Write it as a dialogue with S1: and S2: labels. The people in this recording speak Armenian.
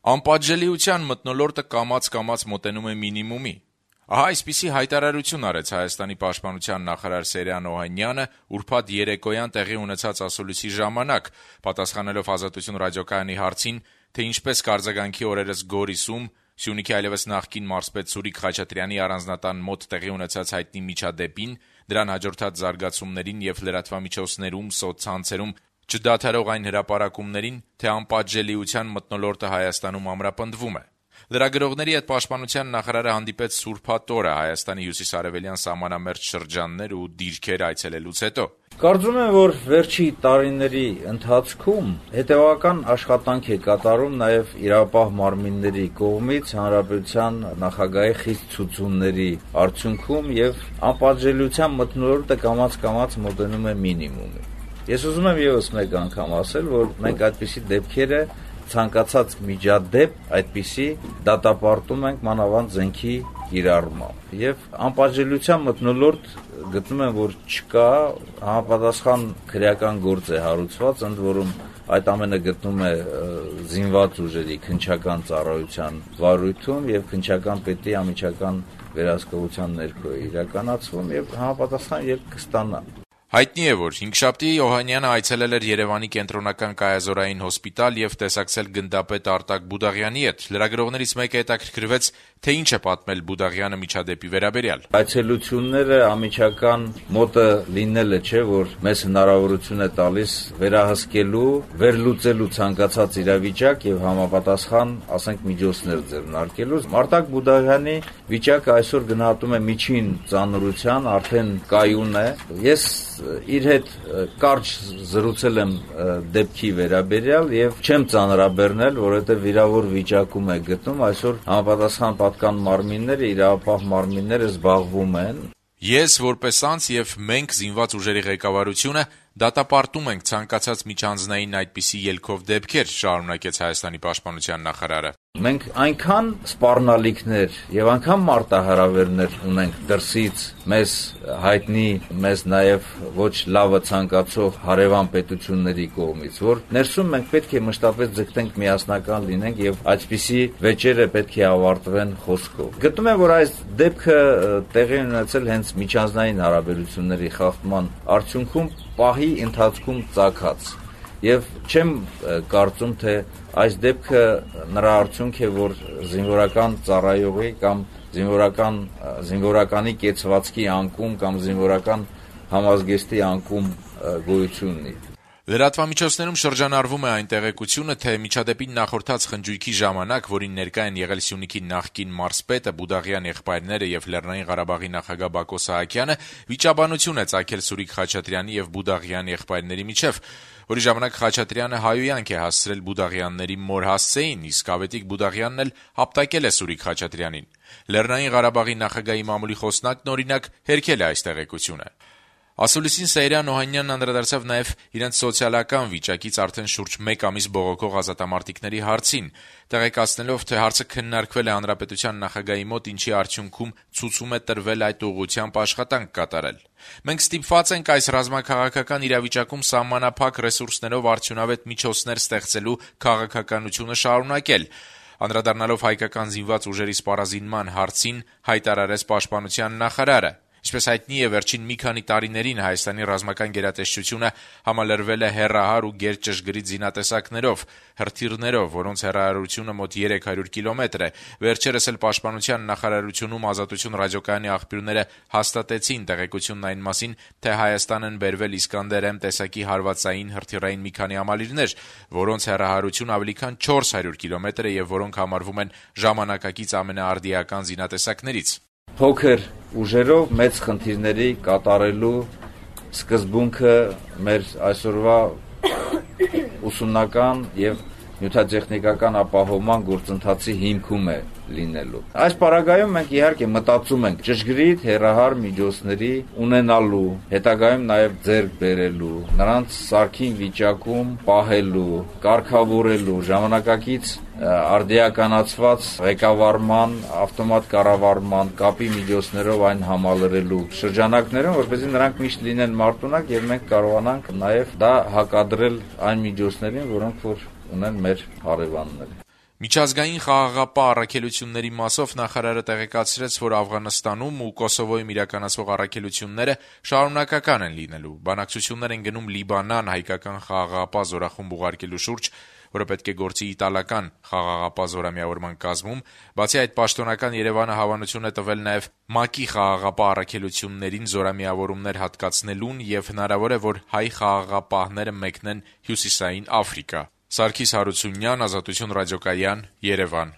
S1: Անպատժելիության մթնոլորտը կամաց-կամաց մոտենում է մինիմումի։ Ահա այսպիսի հայտարարություն արեց Հայաստանի պաշտպանության նախարար Սերյան Օհանյանը ուրբաթ երեկոյան տեղի ունեցած ասուլիսի ժամանակ, պատասխանելով Ազատություն ռադիոկայանի հարցին, թե ինչպես կարձագանքի օրերս Գորիսում Սյունիքի այլևս նախկին մարզպետ Սուրիկ Խաչատրյանի առանձնատան մոտ տեղի ունեցած հայտնի միջադեպին, դրան հաջորդած զարգացումներին եւ լրատվամիջոցներում, սոցցանցերում չդադարող այն հրապարակումներին, թե անպատժելիության մթնոլորտը Հայաստանում ամրապնդվում է։ Լրագրողների հետ պաշտպանության նախարարը հանդիպեց սուրբաթ օրը Հայաստանի հյուսիսարևելյան սահմանամերձ շրջաններ ու դիրքեր այցելելուց հետո։
S2: Կարծում եմ, որ վերջի տարիների ընթացքում հետևական աշխատանք է կատարում նաև իրավապահ մարմինների կողմից հանրապետության նախագահի խիստ ցուցումների արդյունքում եւ անպատժելիության մթնոլորտը կամաց-կամաց մոտենում է մինիմումի։ Ես ուզում եմ եւս մեկ անգամ ասել, որ մենք այդպիսի դեպքերը ցանկացած միջադեպ այդպիսի դատապարտում ենք մանավանդ զենքի կիրառմամբ եւ անպատժելիության մթնոլորտ գտնում եմ, որ չկա, համապատասխան քրեական գործ է հարուցված, ընդ որում այդ ամենը գտնում է զինված ուժերի քննչական ծառայության վարույթում եւ քննչական պետի անմիջական վերահսկողության ներքո է իրականացվում եւ համապատասխան ելք կստանա։
S1: Հայտնի է, որ հինգշաբթի Օհանյանը այցելել էր Երևանի կենտրոնական կայազորային հոսպիտալ եւ տեսակցել գնդապետ Արտակ Բուդաղյանի հետ։ Լրագրողներից մեկը հետաքրքրվեց, թե ինչ է պատմել Բուդաղյանը միջադեպի վերաբերյալ։
S2: Այցելությունները անմիջական մոտը լինելը չէ, որ մեզ հնարավորություն է տալիս վերահսկելու, վերլուծելու ցանկացած իրավիճակ եւ համապատասխան, ասենք, միջոցներ ձեռնարկելու։ Արտակ Բուդաղյանի վիճակը այսօր գնահատում է միջին ծանրության, արդեն կայուն է։ Ես իր հետ կարճ զրուցել եմ դեպքի վերաբերյալ եւ չեմ ծանրաբեռնել, որովհետեւ վիրավոր վիճակում է գտնում, այսօր համապատասխան պատկան մարմինները, իրավապահ մարմինները զբաղվում են։
S1: Ես որպես անձ եւ մենք զինված ուժերի ղեկավարությունը դատապարտում ենք ցանկացած միջանձնային այդպիսի ելքով դեպքեր, շարունակեց Հայաստանի պաշտպանության նախարարը։
S2: Մենք այնքան սպառնալիքներ եւ այնքան մարտահրավերներ ունենք դրսից մեզ հայտնի, մեզ նաեւ ոչ լավը ցանկացող հարևան պետությունների կողմից, որ ներսում մենք պետք է մշտապես ձգտենք միասնական լինենք եւ այսպիսի վեճերը պետք է ավարտվեն խոսքով։ Գտնում եմ, որ այս դեպքը տեղի ունեցել հենց միջանձնային հարաբերությունների խախտման արդյունքում պահի ընթացքում ծագած եւ չեմ կարծում, թե այս դեպքը նրա արդյունք է, որ զինվորական ծառայողի կամ զինվորականի կեցվածքի անկում կամ զինվորական համազգեստի անկում գոյություն ունի։
S1: Լրատվամիջոցներում շրջանառվում է այն տեղեկությունը, թե միջադեպին նախորդած խնջույքի ժամանակ, որին ներկա են եղել Սյունիքի նախկին մարզպետը, Բուդաղյան եղբայրները եւ Լեռնային Ղարաբաղի նախագահ Բակո Սահակյանը, վիճաբանություն է ծագել Սուրիկ Խաչատրյանի եւ Բուդաղյան եղբայրների միջեւ, որի ժամանակ Խաչատրյանը հայոյանք է հասցրել Բուդաղյանների մոր Հասցեին, իսկ Ավետիք Բուդաղյանն էլ հապտակել է Սուրիկ Խաչատրյանին։ Լեռնային Ղարաբաղի նախագահի մամուլի խոսնակն օրինակ հերքել է այս տեղեկությունը։ Ասուլիսին Սերյան Օհանյանն անդրադարձավ նաև իրենց սոցիալական վիճակից արդեն շուրջ 1 ամիս բողոքող ազատամարտիկների հարցին, տեղեկացնելով, թե հարցը քննարկվել է հանրապետության նախագահի մոտ, ինչի արդյունքում ցուցում է տրվել այդ ուղղությամբ աշխատանք կատարել։ Մենք ստիպված ենք այս ռազմաքաղաքական իրավիճակում սահմանափակ ռեսուրսներով արդյունավետ միջոցներ ստեղծելու քաղաքականությունը շարունակել։ Անդրադառնալով հայկական զինված ուժերի սպառազինման հարցին, հայտարարեց պաշտպանության նախարարը։ Ինչպես հայտնի է, վերջին մի քանի տարիներին Հայաստանի ռազմական գերատեսչությունը համալրվել է հեռահար ու գերճշգրիտ զինատեսակներով, հրթիռներով, որոնց հեռահարությունը մոտ 300 կիլոմետր է։ Վերջերս էլ պաշտպանության նախարարությունում Ազատություն ռադիոկայանի աղբյուրները հաստատեցին տեղեկությունն այն մասին, թե Հայաստան են բերվել Իսկանդեր-M տեսակի հարվածային հրթիռային մի քանի համալիրներ, որոնց հեռահարությունը ավելի քան 400 կիլոմետր է եւ որոնք համարվում են ժամանակակից ամենաարդիական զինատեսակներից։
S2: Փոքր ուժերով մեծ խնդիրների կատարելու սկզբունքը մեր այսօրվա ուսումնական եւ նյութատեխնիկական ապահովման գործընթացի հիմքում է լինելու։ Այս պարագայում մենք իհարկե մտածում ենք ճշգրիտ հեռահար միջոցների ունենալու, հետագայում նաև ձեռք բերելու, նրանց սարքին վիճակում պահելու, կարգավորելու, ժամանակակից արդիականացված ղեկավարման, ավտոմատ կառավարման, կապի միջոցներով այն համալրելու շրջանակներում, որպեսզի նրանք միշտ լինեն մարտունակ եւ մենք կարողանանք նաև դա հակադրել այն միջոցներին, որոնք որ ունեն մեր հարևանները։
S1: Միջազգային խաղաղապահ առաքելությունների մասով նախարարը տեղեկացրեց, որ Աֆղանստանում ու Կոսովոյում իրականացվող առաքելությունները շարունակական են լինելու։ Բանակցություններ են գնում Լիբանան հայկական խաղաղապահ զորախումբ ուղարկելու շուրջ, որը պետք է գործի իտալական խաղաղապահ զորամիավորման կազմում։ Բացի այդ, պաշտոնական Երևանը հավանություն է տվել նաև ՄԱԿ-ի խաղաղապահ առաքելություններին զորամիավորումներ հատկացնելուն եւ հնարավոր է, որ հայ խաղաղապահները մեկնեն Հյուսիսային Աֆրիկա։ Սարգիս Հարությունյան, Ազատություն ռադիոկայան, Երևան։